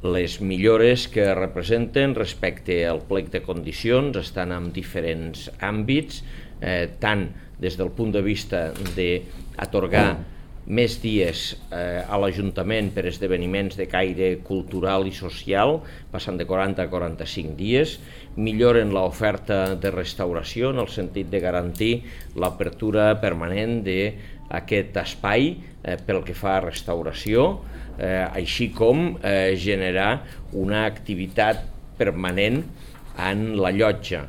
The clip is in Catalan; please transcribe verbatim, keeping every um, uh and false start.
Les millores que representen respecte al plec de condicions estan en diferents àmbits, eh, tant des del punt de vista d'atorgar més dies eh, a l'Ajuntament per esdeveniments de caire cultural i social, passant de quaranta a quaranta-cinc dies, milloren l'oferta de restauració en el sentit de garantir l'apertura permanent d'aquest espai eh, pel que fa a restauració, eh, així com eh, generar una activitat permanent en la llotja.